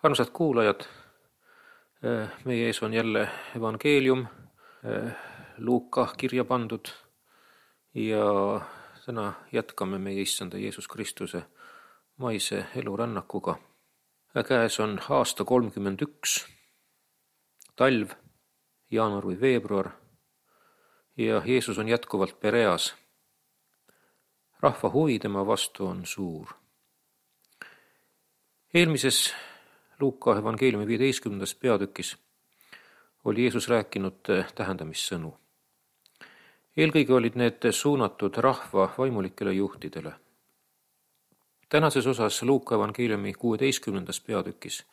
Armsad kuulajad, meie ees on jälle evangeelium, Luuka kirja pandud ja täna jätkame meie issanda Jeesus Kristuse maise elurännakuga. Käes on aasta 31, talv, jaanuar või veebruar ja Jeesus on jätkuvalt Pereas. Rahva huvi tema vastu on suur. Eelmises Luuka evangeeliumi 15. peatükis oli Jeesus rääkinud tähendamissõnu. Eelkõige olid need suunatud rahva vaimulikele juhtidele. Tänases osas Luuka evangeeliumi 16. peatükis,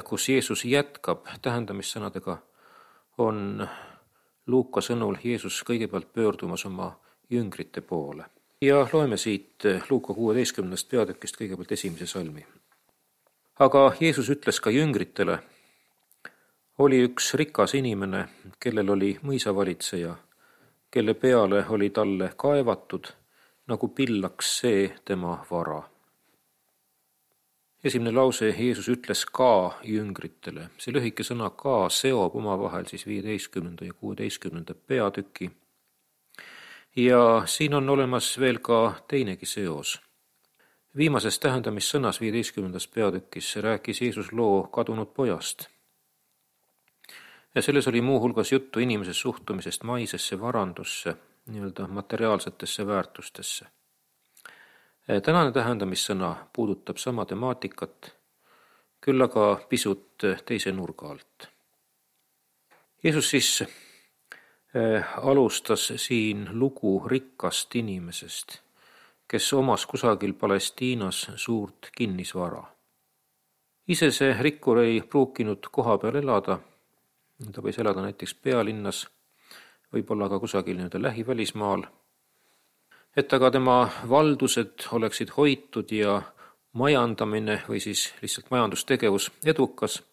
kus Jeesus jätkab tähendamissõnadega, on Luuka sõnul Jeesus kõigepealt pöördumas oma jüngrite poole. Ja loeme siit Luuka 16. peatükist kõigepealt esimese salmi. Aga Jeesus ütles ka jüngritele, oli üks rikas inimene, kellel oli mõisavalitseja, kelle peale oli talle kaevatud, nagu pillaks see tema vara. Esimene lause Jeesus ütles ka jüngritele. See lühike sõna ka seob omavahel siis 15. ja 16. peatüki. Ja siin on olemas veel ka teinegi seos. Viimases tähendamissõnas 15. peatükis rääkis Jeesus loo kadunud pojast. Ja selles oli muu hulgas juttu inimese suhtumisest maisesse varandusse, nii-öelda materiaalsetesse väärtustesse. Tänane tähendamissõna puudutab sama temaatikat, küll aga pisut teise nurga alt. Jeesus siis alustas siin lugu rikkast inimesest, kes omas kusagil Palestiinas suurt kinnisvara. Ise see rikkur ei pruukinud koha peal elada, ta võis elada näiteks pealinnas, võib-olla ka kusagil lähivälismaal, et aga tema valdused oleksid hoitud ja majandamine või siis lihtsalt majandustegevus edukas,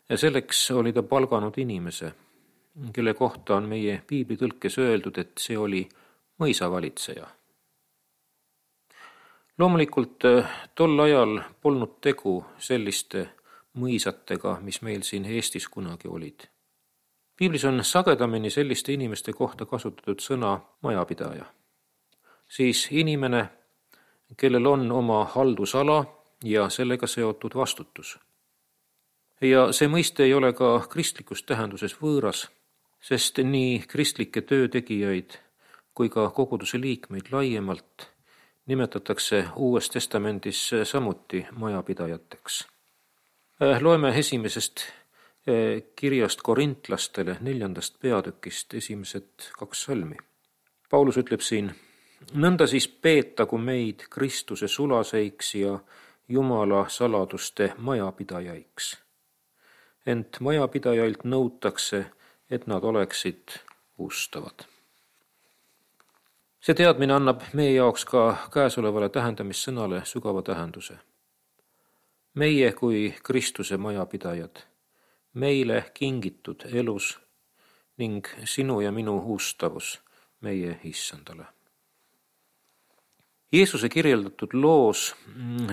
ja selleks oli ta palganud inimese, kelle kohta on meie piiblitõlkes öeldud, et see oli mõisavalitseja. Loomulikult tol ajal polnud tegu selliste mõisatega, mis meil siin Eestis kunagi olid. Piiblis on sagedamini selliste inimeste kohta kasutatud sõna majapidaja. Siis inimene, kellel on oma haldusala ja sellega seotud vastutus. Ja see mõiste ei ole ka kristlikus tähenduses võõras, sest nii kristlikke töötegijaid kui ka koguduse liikmeid laiemalt nimetatakse Uues Testamendis samuti majapidajateks. Loeme esimesest kirjast korintlastele 4. peatükist esimesed 2 salmi. Paulus ütleb siin, nõnda siis peetagu meid Kristuse sulaseiks ja Jumala saladuste majapidajaiks. Ent majapidajailt nõutakse, et nad oleksid ustavad. See teadmine annab meie jaoks ka käesolevale tähendamissõnale sügava tähenduse. Meie kui Kristuse majapidajad, meile kingitud elus ning sinu ja minu ustavus meie issandale. Jeesuse kirjeldatud loos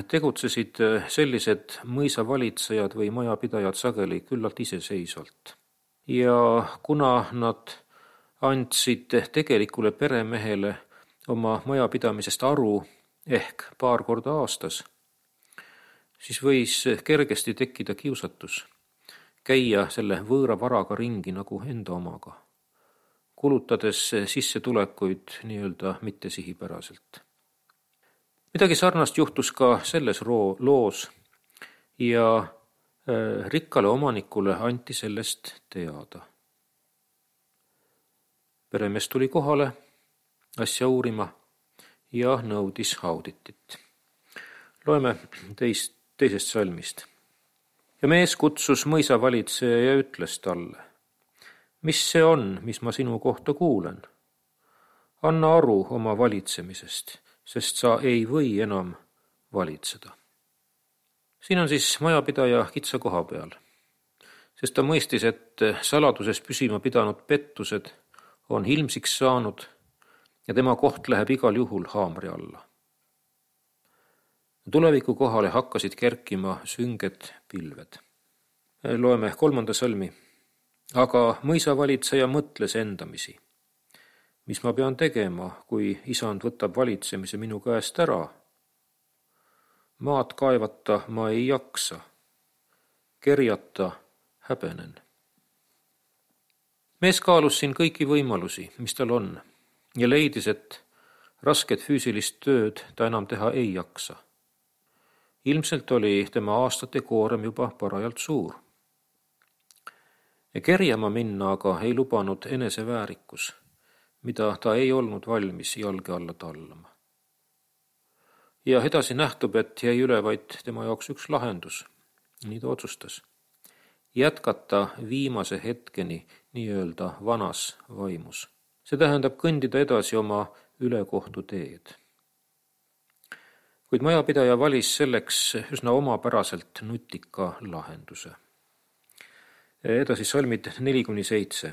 tegutsesid sellised mõisavalitsejad või majapidajad sageli küllalt iseseisvalt. Ja kuna nad andsid tegelikule peremehele oma majapidamisest aru ehk paar korda aastas, siis võis kergesti tekkida kiusatus käia selle võõra varaga ringi nagu enda omaga, kulutades sissetulekuid nii-öelda mittesihipäraselt. Midagi sarnast juhtus ka selles loos ja rikkale omanikule anti sellest teada. Peremees tuli kohale asja uurima ja nõudis auditit. Loeme teisest salmist. Ja mees kutsus mõisavalitseja ja ütles talle, mis see on, mis ma sinu kohta kuulen? Anna aru oma valitsemisest, sest sa ei või enam valitseda. Siin on siis majapidaja kitsa koha peal, sest ta mõistis, et saladuses püsima pidanud pettused on ilmsiks saanud ja tema koht läheb igal juhul haamri alla. Tuleviku kohale hakkasid kerkima sünged pilved. Loeme 3. salmi. Aga mõisavalitseja mõtles endamisi. Mis ma pean tegema, kui isand võtab valitsemise minu käest ära? Maad kaevata ma ei jaksa. Kerjata häbenen. Mees kaalus siin kõiki võimalusi, mis tal on, ja leidis, et rasket füüsilist tööd ta enam teha ei jaksa. Ilmselt oli tema aastate koorem juba parajalt suur. Kerjama minna aga ei lubanud eneseväärikus, mida ta ei olnud valmis jalge alla tallama. Ja edasi nähtub, et jäi üle vaid tema jaoks üks lahendus. Nii ta otsustas. Jätkata viimase hetkeni nii-öelda vanas vaimus. See tähendab kõndida edasi oma ülekohtu teed. Kuid majapidaja valis selleks üsna omapäraselt nutika lahenduse. Edasi salmid 4-7.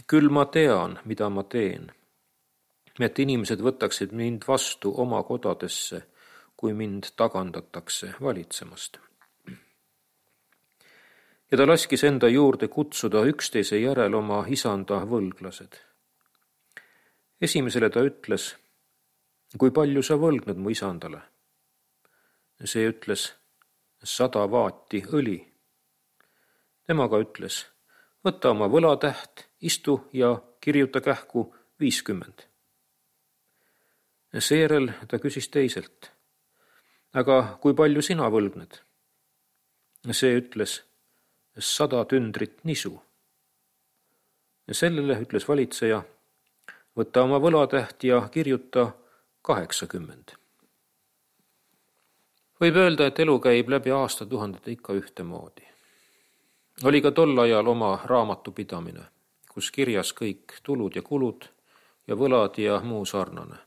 Küll ma tean, mida ma teen, et inimesed võtaksid mind vastu oma kodadesse, kui mind tagandatakse valitsemast. Ja ta laskis enda juurde kutsuda üksteise järel oma isanda võlglased. Esimesele ta ütles, kui palju sa võlgned mu isandale? See ütles, 100 vaati õli. Temaga ütles, võta oma võlatäht, istu ja kirjuta kähku 50. Seejärel ta küsis teiselt, aga kui palju sina võlgned? See ütles, 100 tündrit nisu. Sellele ütles valitseja, võta oma võlatäht ja kirjuta 80. Võib öelda, et elu käib läbi aastatuhandete ikka ühtemoodi. Oli ka tol ajal oma raamatupidamine, kus kirjas kõik tulud ja kulud ja võlad ja muu sarnane.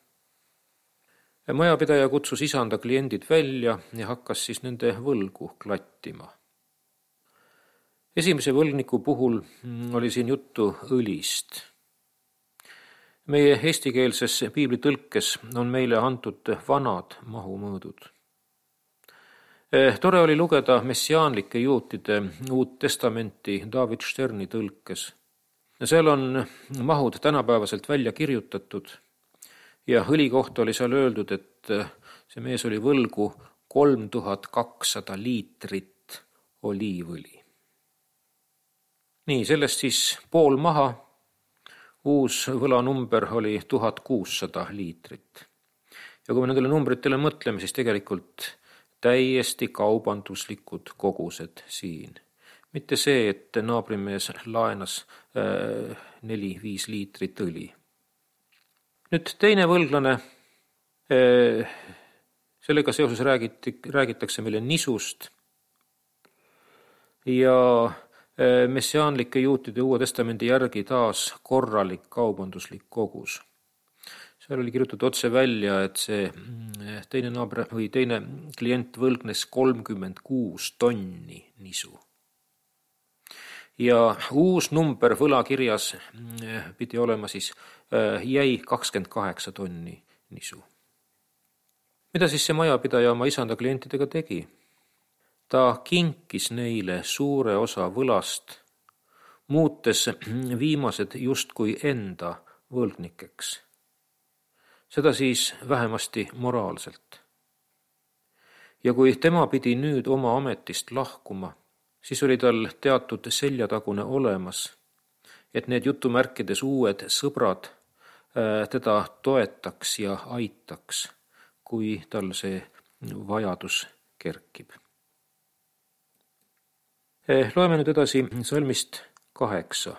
Majapidaja kutsus isanda kliendid välja ja hakkas siis nende võlgu klattima. Esimese võlgniku puhul oli siin juttu õlist. Meie eestikeelses piiblitõlkes on meile antud vanad mahumõõdud. Tore oli lugeda messiaanlike juutide Uut Testamenti David Sterni tõlkes. Seal on mahud tänapäevaselt välja kirjutatud ja õli kohta oli seal öeldud, et see mees oli võlgu 3200 liitrit oliivõli. Nii, sellest siis pool maha. Uus võlanumber oli 1600 liitrit. Ja kui me nendele numbritele mõtleme, siis tegelikult täiesti kaubanduslikud kogused siin. Mitte see, et naabrimees laenas 4-5 liitrit õli. Nüüd teine võlglane, sellega seoses räägitakse meile nisust ja messiaanlike juutide Uue Testamendi järgi taas korralik kaubanduslik kogus. Seal oli kirjutatud otse välja, et see teine naaber või teine klient võlgnes 36 tonni nisu. Ja uus number võlakirjas pidi olema siis jäi 28 tonni nisu. Mida siis see majapidaja oma isanda klientidega tegi? Ta kinkis neile suure osa võlast, muutes viimased justkui enda võlgnikeks. Seda siis vähemasti moraalselt. Ja kui tema pidi nüüd oma ametist lahkuma, siis oli tal teatud seljatagune olemas, et need jutumärkides uued sõbrad teda toetaks ja aitaks, kui tal see vajadus kerkib. Loeme nüüd edasi salmist 8.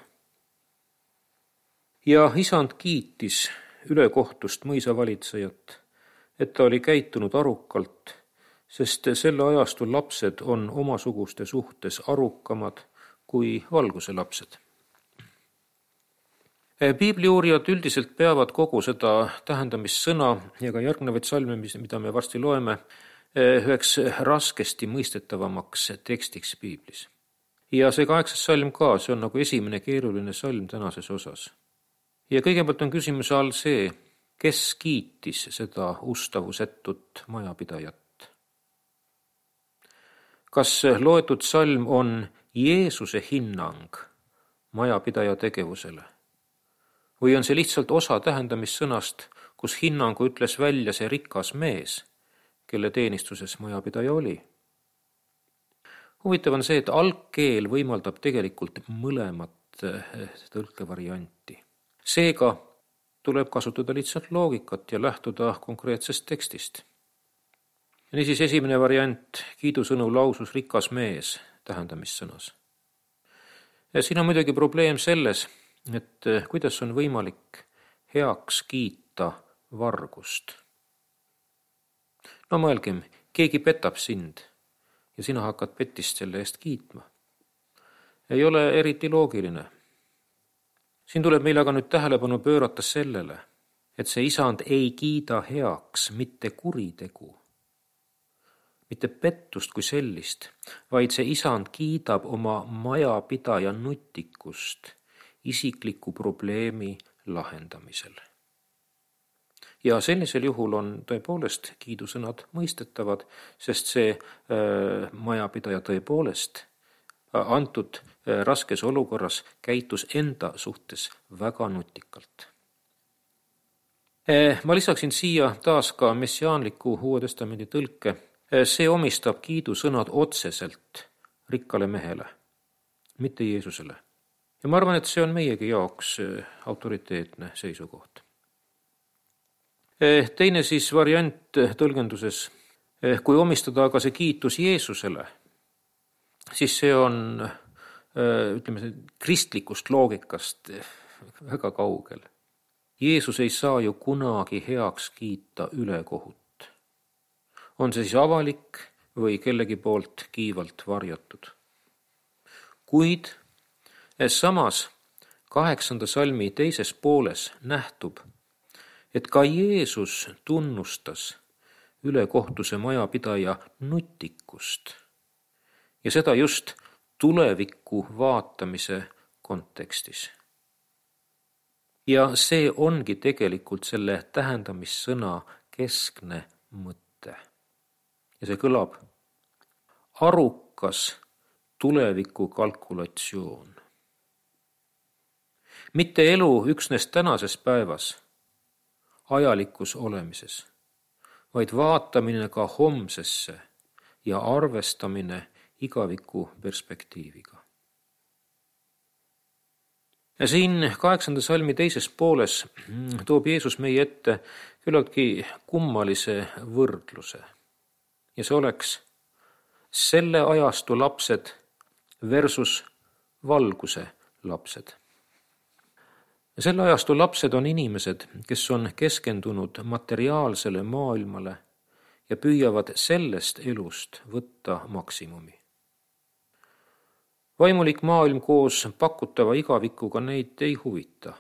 Ja isand kiitis ülekohtust mõisavalitsejat, et ta oli käitunud arukalt, sest selle ajastu lapsed on omasuguste suhtes arukamad kui valguse lapsed. Piibliuurijad üldiselt peavad kogu seda tähendamissõna ja ka järgnevaid salme, mida me varsti loeme, üheks raskesti mõistetavamaks tekstiks piiblis. Ja see 8. salm ka, see on nagu esimene keeruline salm tänases osas. Ja kõigepealt on küsimuse all see, kes kiitis seda ustavusetut majapidajat? Kas loetud salm on Jeesuse hinnang majapidaja tegevusele? Või on see lihtsalt osa tähendamissõnast, kus hinnangu ütles välja see rikas mees, kelle teenistuses majapidaja oli? Huvitav on see, et algkeel võimaldab tegelikult mõlemat tõlkevarianti. Seega tuleb kasutada lihtsalt loogikat ja lähtuda konkreetsest tekstist. Niisiis esimene variant, kiidusõnu lausus rikas mees tähendamissõnas. Ja siin on muidugi probleem selles, et kuidas on võimalik heaks kiita vargust. No mõelgem, keegi petab sind ja sina hakkad petist selle eest kiitma. Ei ole eriti loogiline. Siin tuleb meil aga nüüd tähelepanu pöörata sellele, et see isand ei kiida heaks mitte kuritegu, mitte pettust kui sellist, vaid see isand kiidab oma majapidaja nutikust isikliku probleemi lahendamisel. Ja sellisel juhul on tõepoolest kiidusõnad mõistetavad, sest see majapidaja tõepoolest antud raskes olukorras käitus enda suhtes väga nutikalt. Ma lisaksin siia taas ka messiaanliku Uue Testamendi tõlke. See omistab kiidusõnad otseselt rikkale mehele, mitte Jeesusele. Ja ma arvan, et see on meiegi jaoks autoriteetne seisukoht. Teine siis variant tõlgenduses, kui omistada aga see kiitus Jeesusele, siis see on, ütleme, kristlikust loogikast väga kaugel. Jeesus ei saa ju kunagi heaks kiita ülekohut. On see siis avalik või kellegi poolt kiivalt varjatud. Kuid samas 8. salmi teises pooles nähtub, et ka Jeesus tunnustas ülekohtuse majapidaja nutikust ja seda just tuleviku vaatamise kontekstis. Ja see ongi tegelikult selle tähendamissõna keskne mõte. Ja see kõlab arukas tuleviku kalkulatsioon. Mitte elu üksnes tänases päevas, ajalikus olemises, vaid vaatamine ka homsesse ja arvestamine igaviku perspektiiviga. Ja siin 8. salmi teises pooles toob Jeesus meie ette küllaltki kummalise võrdluse. Ja see oleks selle ajastu lapsed versus valguse lapsed. Ja selle ajastu lapsed on inimesed, kes on keskendunud materiaalsele maailmale ja püüavad sellest elust võtta maksimumi. Vaimulik maailm koos pakutava igavikuga neid ei huvita.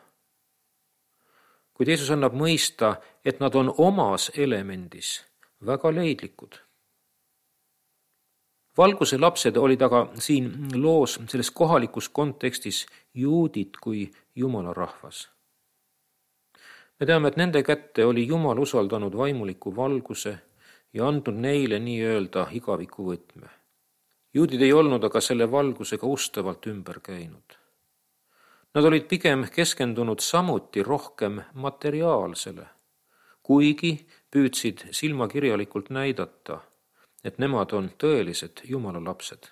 Kuid Jeesus annab mõista, et nad on omas elemendis väga leidlikud. Valguse lapsed olid aga siin loos selles kohalikus kontekstis juudid kui Jumala rahvas. Me teame, et nende kätte oli Jumal usaldanud vaimuliku valguse ja andnud neile nii-öelda igaviku võtme. Juudid ei olnud aga selle valgusega ustavalt ümber käinud. Nad olid pigem keskendunud samuti rohkem materiaalsele, kuigi püüdsid silmakirjalikult näidata, et nemad on tõelised Jumala lapsed.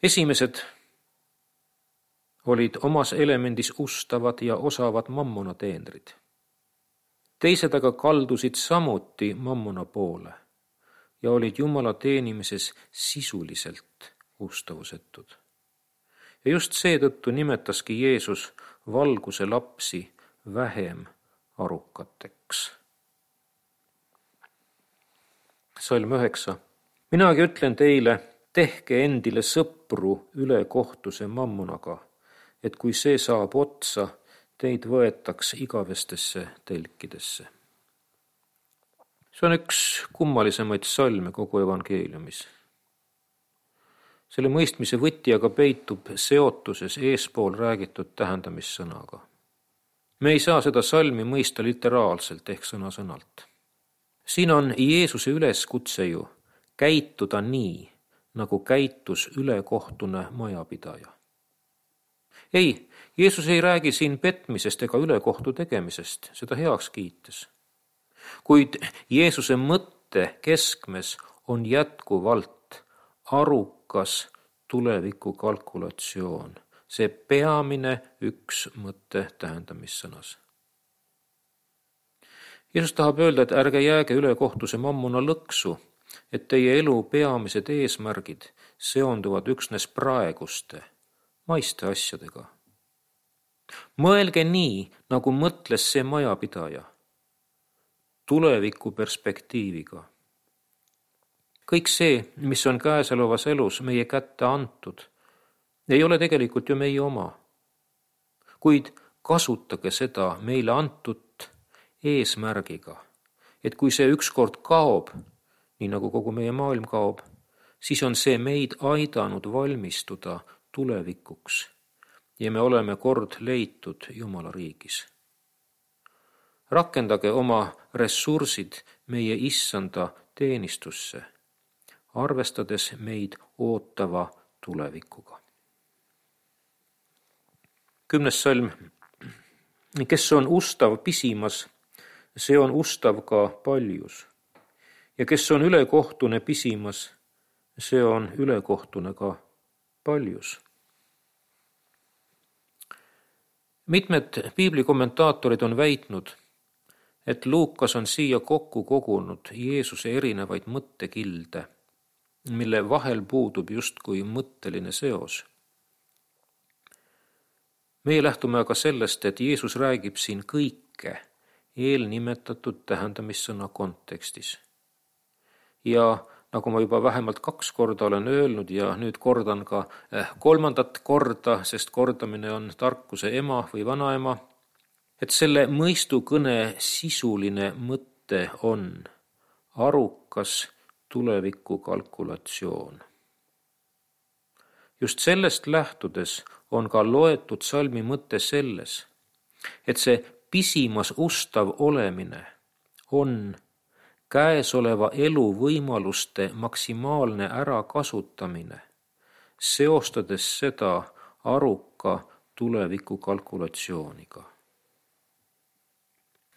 Esimesed olid omas elemendis ustavad ja osavad mammona teenrid. Teised aga kaldusid samuti mammona poole ja olid Jumala teenimises sisuliselt ustavusetud. Ja just seetõttu nimetaski Jeesus valguse lapsi vähem arukateks. Salm 9. Minagi ütlen teile, tehke endile sõpru üle kohtuse mammonaga, et kui see saab otsa, teid võetaks igavestesse telkidesse. See on üks kummalisemaid salme kogu evangeeliumis. Selle mõistmise võti aga peitub seotuses eespool räägitud tähendamissõnaga. Me ei saa seda salmi mõista literaalselt ehk sõna-sõnalt. Siin on Jeesuse üleskutse ju käituda nii, nagu käitus ülekohtune majapidaja. Ei, Jeesus ei räägi siin petmisest ega ülekohtu tegemisest, seda heaks kiites. Kuid Jeesuse mõtte keskmes on jätkuvalt arukas tuleviku kalkulatsioon, see peamine üks mõtte tähendamissõnas. Jeesus tahab öelda, et ärge jääge ülekohtuse mammuna lõksu, et teie elu peamised eesmärgid seonduvad üksnes praeguste, maiste asjadega. Mõelge nii, nagu mõtles see majapidaja, tuleviku perspektiiviga. Kõik see, mis on käesolevas elus meie kätte antud, ei ole tegelikult ju meie oma. Kuid kasutage seda meile antut eesmärgiga, et kui see ükskord kaob, nii nagu kogu meie maailm kaob, siis on see meid aidanud valmistuda tulevikuks ja me oleme kord leitud Jumala riigis. Rakendage oma ressursid meie issanda teenistusse, arvestades meid ootava tulevikuga. 10. salm. Kes on ustav pisimas, see on ustav ka paljus. Ja kes on ülekohtune pisimas, see on ülekohtune ka paljus. Mitmed piiblikommentaatorid on väitnud, et Luukas on siia kokku kogunud Jeesuse erinevaid mõttekilde, mille vahel puudub justkui mõtteline seos. Meie lähtume aga sellest, et Jeesus räägib siin kõike eelnimetatud tähendamissõna kontekstis. Ja nagu ma juba vähemalt 2 korda olen öelnud ja nüüd kordan ka 3. korda, sest kordamine on tarkuse ema või vanaema, et selle mõistukõne sisuline mõte on arukas tuleviku kalkulatsioon. Just sellest lähtudes on ka loetud salmi mõte selles, et see pisimas ustav olemine on käesoleva elu võimaluste maksimaalne ärakasutamine, seostades seda aruka tuleviku kalkulatsiooniga.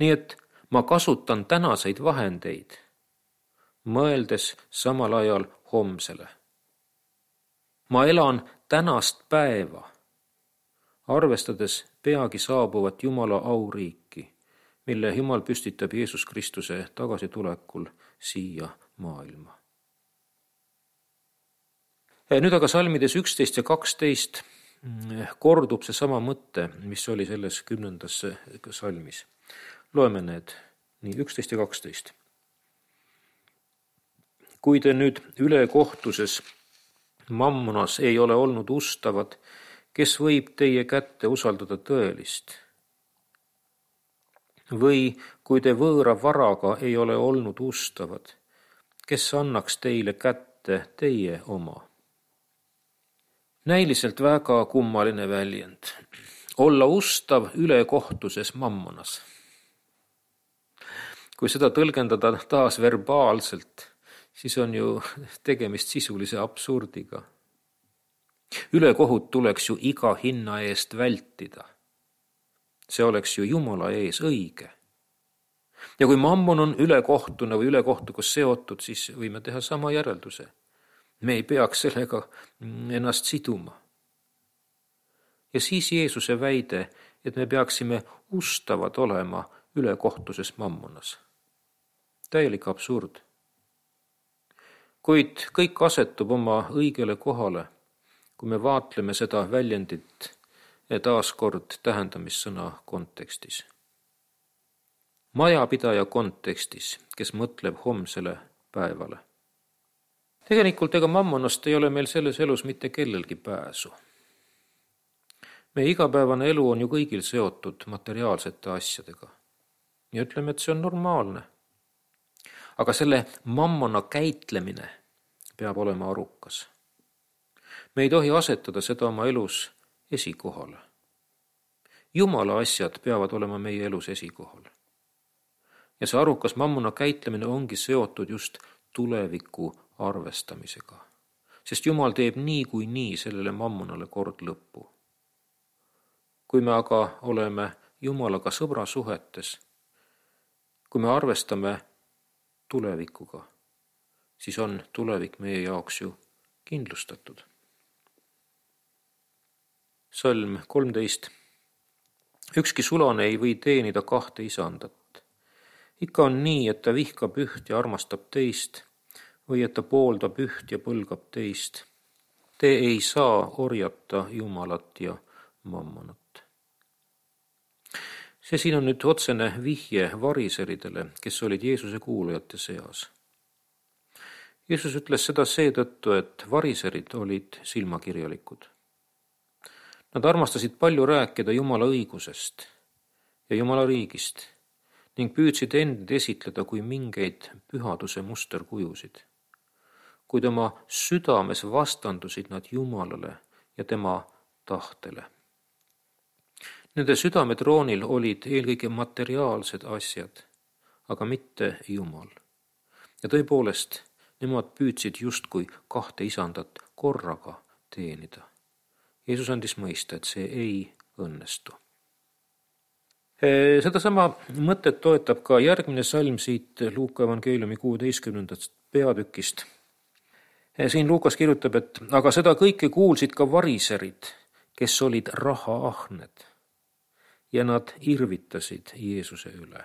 Nii et ma kasutan tänaseid vahendeid, mõeldes samal ajal homsele. Ma elan tänast päeva, arvestades peagi saabuvat Jumala auriiki, mille Jumal püstitab Jeesus Kristuse tagasitulekul siia maailma. Nüüd aga salmides 11 ja 12 kordub see sama mõte, mis oli selles 10. salmis. Loeme need nii 11 ja 12. Kui te nüüd ülekohtuses mammonas ei ole olnud ustavad, kes võib teie kätte usaldada tõelist? Või kui te võõra varaga ei ole olnud ustavad, kes annaks teile kätte teie oma? Näiliselt väga kummaline väljend. Olla ustav ülekohtuses mammonas. Kui seda tõlgendada taas verbaalselt, siis on ju tegemist sisulise absurdiga. Ülekohut tuleks ju iga hinna eest vältida. See oleks ju Jumala ees õige. Ja kui mammon on ülekohtuna või ülekohtuga seotud, siis võime teha sama järelduse. Me ei peaks sellega ennast siduma. Ja siis Jeesuse väide, et me peaksime ustavad olema ülekohtuses mammonas. Täielik absurd. Kuid kõik asetub oma õigele kohale, kui me vaatleme seda väljendit taaskord tähendamissõna kontekstis. Majapidaja kontekstis, kes mõtleb homsele päevale. Tegelikult ega mammonast ei ole meil selles elus mitte kellelgi pääsu. Meie igapäevane elu on ju kõigil seotud materiaalsete asjadega. Ja ütleme, et see on normaalne. Aga selle mammona käitlemine peab olema arukas. Me ei tohi asetada seda oma elus esikohale. Jumala asjad peavad olema meie elus esikohal. Ja see arukas mammuna käitlemine ongi seotud just tuleviku arvestamisega. Sest Jumal teeb nii sellele mammunale kord lõppu. Kui me aga oleme Jumalaga sõbrasuhetes, kui me arvestame tulevikuga, siis on tulevik meie jaoks ju kindlustatud. Salm 13. Ükski sulane ei või teenida 2 isandat. Ikka on nii, et ta vihkab üht ja armastab teist, või et ta pooldab üht ja põlgab teist. Te ei saa orjata Jumalat ja mammonat. See siin on nüüd otsene vihje variseridele, kes olid Jeesuse kuulajate seas. Jeesus ütles seda seetõttu, et variserid olid silmakirjalikud. Nad armastasid palju rääkida Jumala õigusest ja Jumala riigist ning püüdsid end esitleda kui mingeid pühaduse musterkujusid. Kuid oma südames vastandusid nad Jumalale ja tema tahtele. Nende südametroonil olid eelkõige materiaalsed asjad, aga mitte Jumal. Ja tõepoolest, nemad püüdsid justkui 2 isandat korraga teenida. Jeesus andis mõista, et see ei õnnestu. Sedasama mõtet toetab ka järgmine salm siit Luuka evangeeliumi 16. peatükist. Siin Luukas kirjutab, et aga seda kõike kuulsid ka variserid, kes olid rahaahned, ja nad irvitasid Jeesuse üle.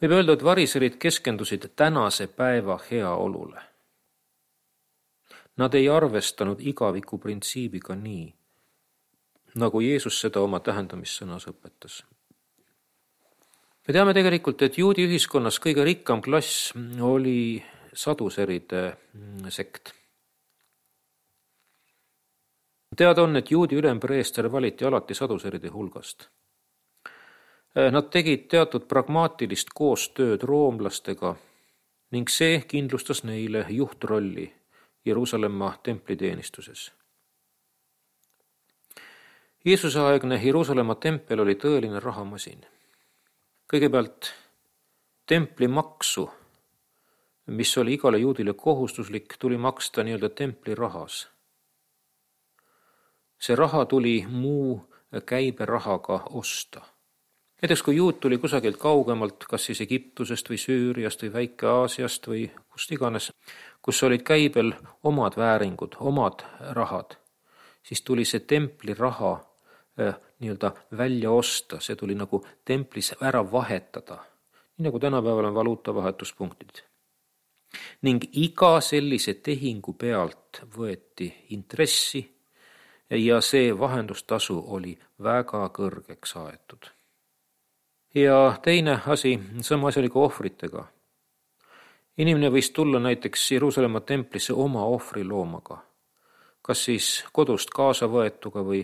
Võib öelda, et variserid keskendusid tänase päeva heaolule. Nad ei arvestanud igaviku printsiibiga nii, nagu Jeesus seda oma tähendamissõnas õpetas. Me teame tegelikult, et juudi ühiskonnas kõige rikkam klass oli saduseride sekt. Teada on, et juudi ülempreester valiti alati saduseride hulgast. Nad tegid teatud pragmaatilist koostööd roomlastega ning see kindlustas neile juhtrolli Jeruusalemma templiteenistuses. Jeesuse aegne Jeruusalemma tempel oli tõeline rahamasin. Kõigepealt templimaksu, mis oli igale juudile kohustuslik, tuli maksta nii-öelda templirahas. See raha tuli muu käiberahaga osta. Näiteks kui juut tuli kusagilt kaugemalt, kas siis Egiptusest või Süüriast või Väike-Aasiast või kust iganes, kus olid käibel omad vääringud, omad rahad, siis tuli see templiraha nii-öelda välja osta, see tuli nagu templis ära vahetada, nii nagu tänapäeval on valuutavahetuspunktid. Ning iga sellise tehingu pealt võeti intressi ja see vahendustasu oli väga kõrgeks aetud. Ja teine asi, sama asi oli ka ohvritega. Inimene võis tulla näiteks Jeruusalemma templisse oma ohvriloomaga, kas siis kodust kaasa võetuga või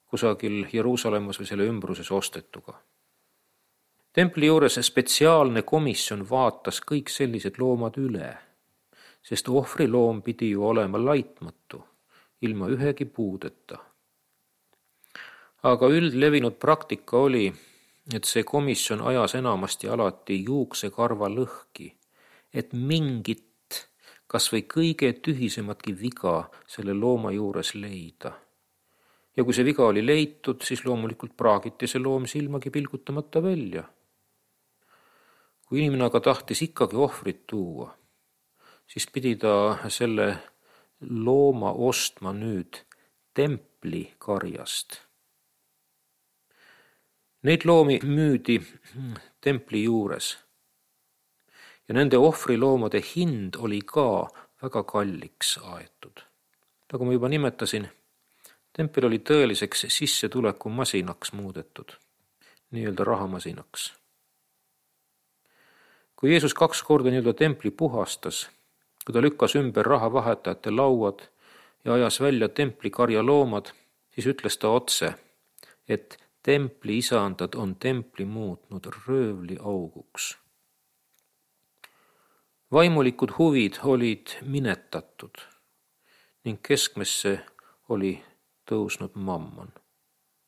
kusagil Jeruusalemmas või selle ümbruses ostetuga. Templi juures spetsiaalne komisjon vaatas kõik sellised loomad üle, sest ohvriloom pidi ju olema laitmatu, ilma ühegi puudeta. Aga üldlevinud praktika oli, et see komisjon ajas enamasti alati juuksekarva lõhki, et mingit, kas või kõige tühisematki viga selle looma juures leida. Ja kui see viga oli leitud, siis loomulikult praagiti see loom silmagi pilgutamata välja. Kui inimene aga tahtis ikkagi ohvrit tuua, siis pidi ta selle looma ostma nüüd templi karjast. Neid loomi müüdi templi juures ja nende ohvriloomade hind oli ka väga kalliks aetud. Nagu ma juba nimetasin, tempel oli tõeliseks sissetuleku masinaks muudetud, nii-öelda rahamasinaks. Kui Jeesus 2 korda nii-öelda templi puhastas, kui ta lükkas ümber rahavahetajate lauad ja ajas välja templi karjaloomad, siis ütles ta otse, et templi isandad on templi muutnud röövli auguks. Vaimulikud huvid olid minetatud ning keskmesse oli tõusnud mammon.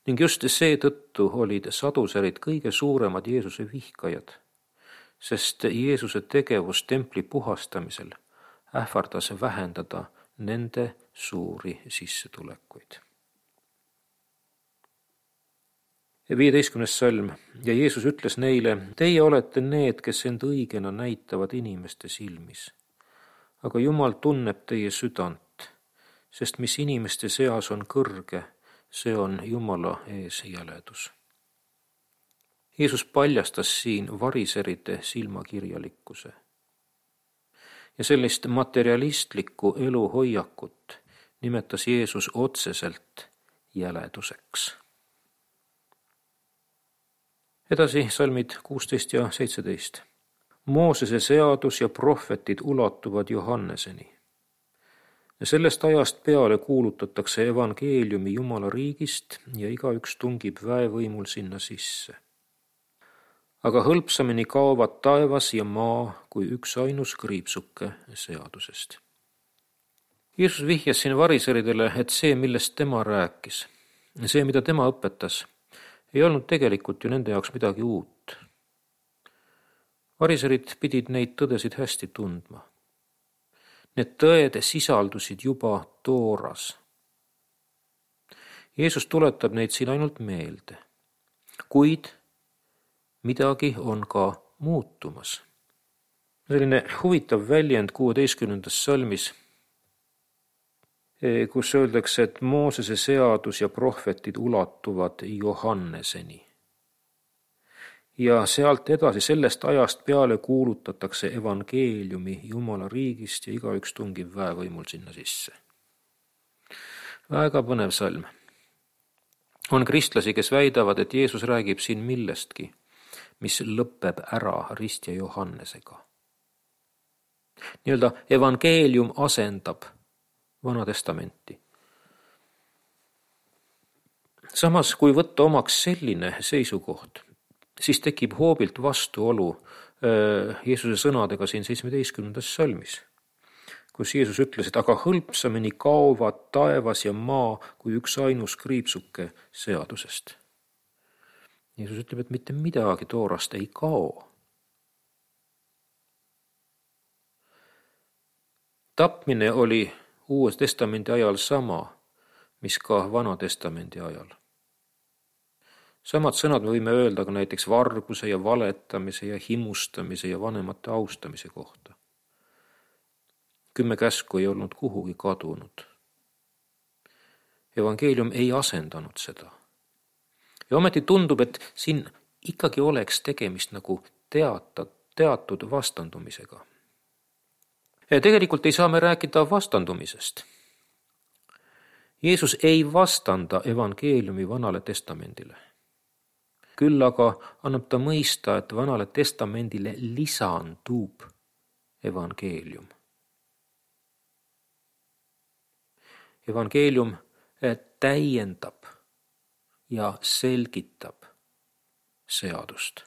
Ning just seetõttu olid saduserid kõige suuremad Jeesuse vihkajad, sest Jeesuse tegevus templi puhastamisel ähvardas vähendada nende suuri sissetulekuid. 15. salm. Ja Jeesus ütles neile: teie olete need, kes end õigena näitavad inimeste silmis. Aga Jumal tunneb teie südant, sest mis inimeste seas on kõrge, see on Jumala ees jäledus. Jeesus paljastas siin variserite silmakirjalikkuse. Ja sellist materialistlikku eluhoiakut nimetas Jeesus otseselt jäleduseks. Edasi salmid 16 ja 17. Moosese seadus ja prohvetid ulatuvad Johanneseni. Ja sellest ajast peale kuulutatakse evangeeliumi Jumala riigist ja igaüks tungib väevõimul sinna sisse. Aga hõlpsamini kaovad taevas ja maa kui üksainus kriipsuke seadusest. Jeesus vihjas siin variseridele, et see, millest tema rääkis, see, mida tema õpetas, ei olnud tegelikult ju nende jaoks midagi uut. Variserid pidid neid tõdesid hästi tundma. Need tõed sisaldusid juba Tooras. Jeesus tuletab neid siin ainult meelde, kuid midagi on ka muutumas. Selline huvitav väljend 16. salmis, kus öeldakse, et Moosese seadus ja prohvetid ulatuvad Johanneseni. Ja sealt edasi sellest ajast peale kuulutatakse evangeeliumi Jumala riigist ja igaüks tungib väevõimul sinna sisse. Väga põnev salm. On kristlasi, kes väidavad, et Jeesus räägib siin millestki, mis lõpeb ära Rist ja Johannesega. Nii-öelda evangeelium asendab Vana testamenti. Samas, kui võtta omaks selline seisukoht, siis tekib hoobilt vastuolu Jeesuse sõnadega siin 17. salmis, kus Jeesus ütles, et aga hõlpsamini kaovad taevas ja maa kui üksainus kriipsuke seadusest. Jeesus ütleb, et mitte midagi Toorast ei kao. Tapmine oli Uue testamendi ajal sama, mis ka Vana testamendi ajal. Samad sõnad me võime öelda ka näiteks varguse ja valetamise ja himustamise ja vanemate austamise kohta. 10 käsku ei olnud kuhugi kadunud. Evangeelium ei asendanud seda. Ja ometi tundub, et siin ikkagi oleks tegemist nagu teatud vastandumisega. Tegelikult ei saa me rääkida vastandumisest. Jeesus ei vastanda evangeeliumi Vanale testamendile. Küll aga annab ta mõista, et Vanale testamendile lisandub evangeelium. Evangeelium täiendab ja selgitab seadust.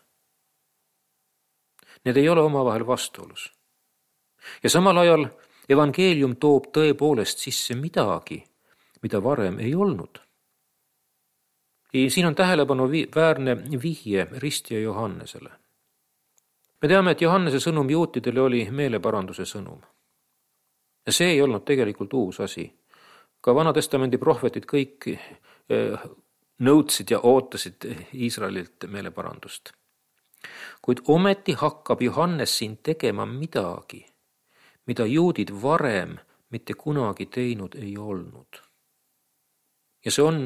Need ei ole omavahel vastuolus. Ja samal ajal evangeelium toob tõepoolest sisse midagi, mida varem ei olnud. Siin on tähelepanu väärne vihje Rist ja Johannesele. Me teame, et Johannese sõnum juutidele oli meeleparanduse sõnum. Ja see ei olnud tegelikult uus asi. Ka Vana testamendi prohvetid kõik nõudsid ja ootasid Iisraelilt meeleparandust. Kuid ometi hakkab Johannes siin tegema midagi, mida juudid varem mitte kunagi teinud ei olnud. Ja see on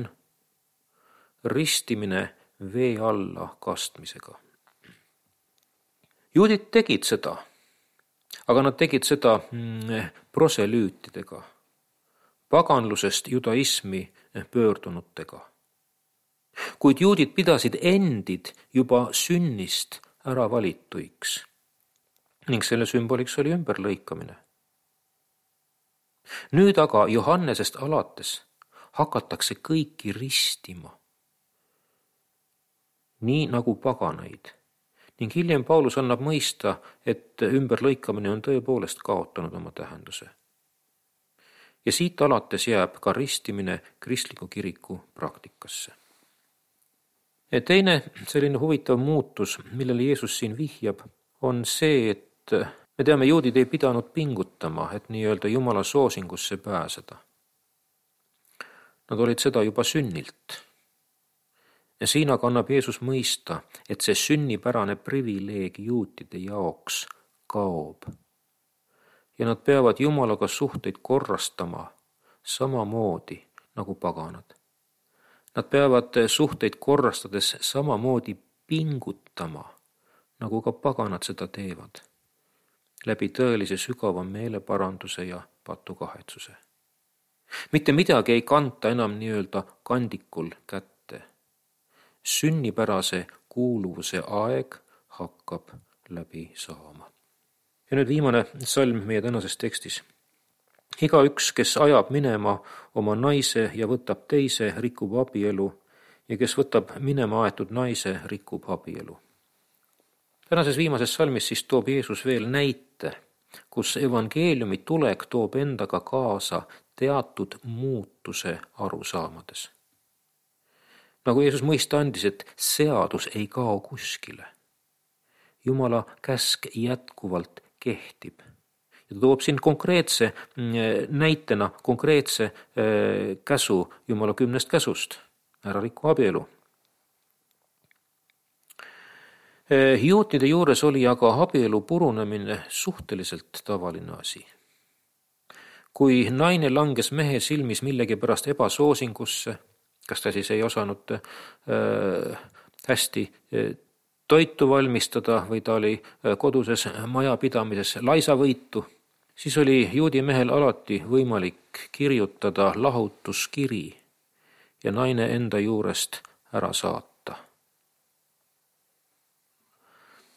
ristimine vee alla kastmisega. Juudid tegid seda, aga nad tegid seda proselüütidega, paganlusest judaismi pöördunutega. Kuid juudid pidasid endid juba sünnist ära valituiks ning selle sümboliks oli ümberlõikamine. Nüüd aga Johannesest alates hakatakse kõiki ristima, nii nagu paganaid. Ning hiljem Paulus annab mõista, et ümberlõikamine on tõepoolest kaotanud oma tähenduse. ja siit alates jääb ka ristimine kristliku kiriku praktikasse. Ja teine selline huvitav muutus, millele Jeesus siin vihjab, on see, et me teame, juudid ei pidanud pingutama, et nii-öelda Jumala soosingusse pääseda. Nad olid seda juba sünnilt. Ja siin aga annab Jeesus mõista, et see sünnipärane privileeg juutide jaoks kaob. Ja nad peavad Jumalaga suhteid korrastama samamoodi nagu paganad. Nad peavad suhteid korrastades samamoodi pingutama, nagu ka paganad seda teevad, läbi tõelise sügava meeleparanduse ja patukahetsuse. Mitte midagi ei kanta enam nii-öelda kandikul kätte. Sünnipärase kuuluvuse aeg hakkab läbi saama. Ja nüüd viimane salm meie tänases tekstis. Igaüks, kes ajab minema oma naise ja võtab teise, rikub abielu, ja kes võtab minema aetud naise, rikub abielu. Tänases viimases salmis siis toob Jeesus veel näite, kus evangeeliumi tulek toob endaga kaasa teatud muutuse arusaamades. Nagu Jeesus mõista andis, et seadus ei kao kuskile. Jumala käsk jätkuvalt kehtib. Ja ta toob siin konkreetse näitena konkreetse käsu Jumala 10 käsust. Ära rikku abielu. Juutide juures oli aga abielu purunemine suhteliselt tavaline asi. Kui naine langes mehe silmis millegipärast ebasoosingusse, kas ta siis ei osanud hästi toitu valmistada või ta oli koduses majapidamises laisavõitu, siis oli juudi mehel alati võimalik kirjutada lahutuskiri ja naine enda juurest ära saata.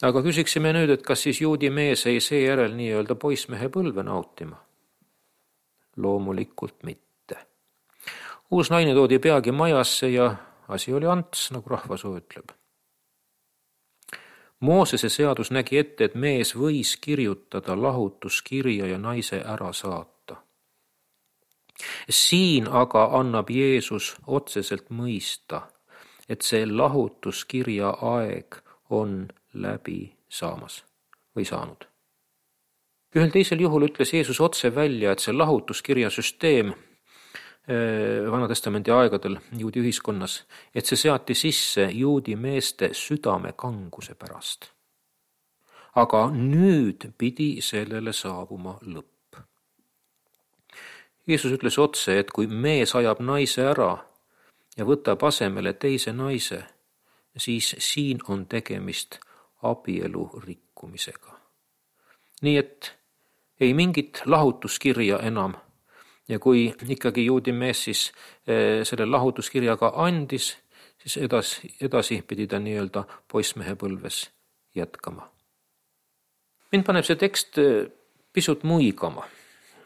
Aga küsiksime nüüd, et kas siis juudi mees ei seejärel nii-öelda poissmehe põlve nautima? Loomulikult mitte. Uus naine toodi peagi majasse ja asi oli ants, nagu rahvasuu ütleb. Moosese seadus nägi ette, et mees võis kirjutada lahutuskirja ja naise ära saata. Siin aga annab Jeesus otseselt mõista, et see lahutuskirja aeg on läbi saamas või saanud. Ühel teisel juhul ütles Jeesus otse välja, et see lahutuskirja süsteem Vanatestamendi aegadel juudi ühiskonnas, et see seati sisse juudi meeste südame kanguse pärast. Aga nüüd pidi sellele saabuma lõpp. Jeesus ütles otse, et kui mees ajab naise ära ja võtab asemele teise naise, siis siin on tegemist abielu rikkumisega. Nii et ei mingit lahutuskirja enam. Ja kui ikkagi juudi mees siis selle lahutuskirjaga andis, siis edasi pidi ta nii-öelda poissmehe põlves jätkama. Mind paneb see tekst pisut muigama,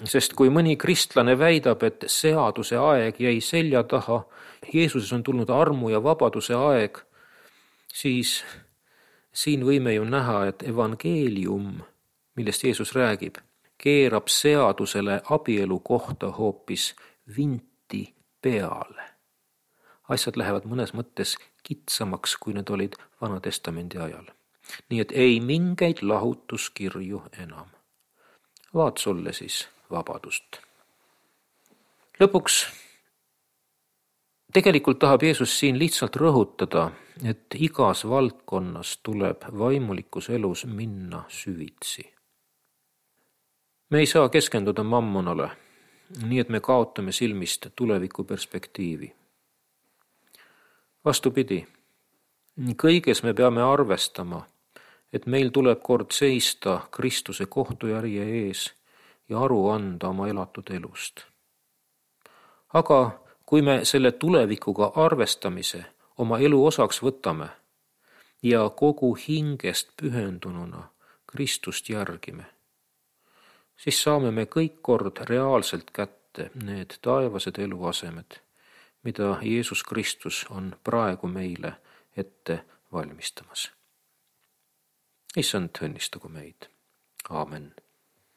sest kui mõni kristlane väidab, et seaduse aeg jäi selja taha, Jeesuses on tulnud armu ja vabaduse aeg, siis siin võime ju näha, et evangeelium, millest Jeesus räägib, keerab seadusele abielu kohta hoopis vinti peale. Asjad lähevad mõnes mõttes kitsamaks, kui need olid Vanatestamendi ajal. Nii et ei mingeid lahutuskirju enam. Vaat sulle siis vabadust. Lõpuks tegelikult tahab Jeesus siin lihtsalt rõhutada, et igas valdkonnas tuleb vaimulikus elus minna süvitsi. Me ei saa keskenduda mammonale, nii et me kaotame silmist tuleviku perspektiivi. Vastupidi, kõiges me peame arvestama, et meil tuleb kord seista Kristuse kohtujärje ees ja aru anda oma elatud elust. Aga kui me selle tulevikuga arvestamise oma elu osaks võtame ja kogu hingest pühendununa Kristust järgime, siis saame me kõik kord reaalselt kätte need taevased eluasemed, mida Jeesus Kristus on praegu meile ette valmistamas. Issand õnnistagu meid. Aamen.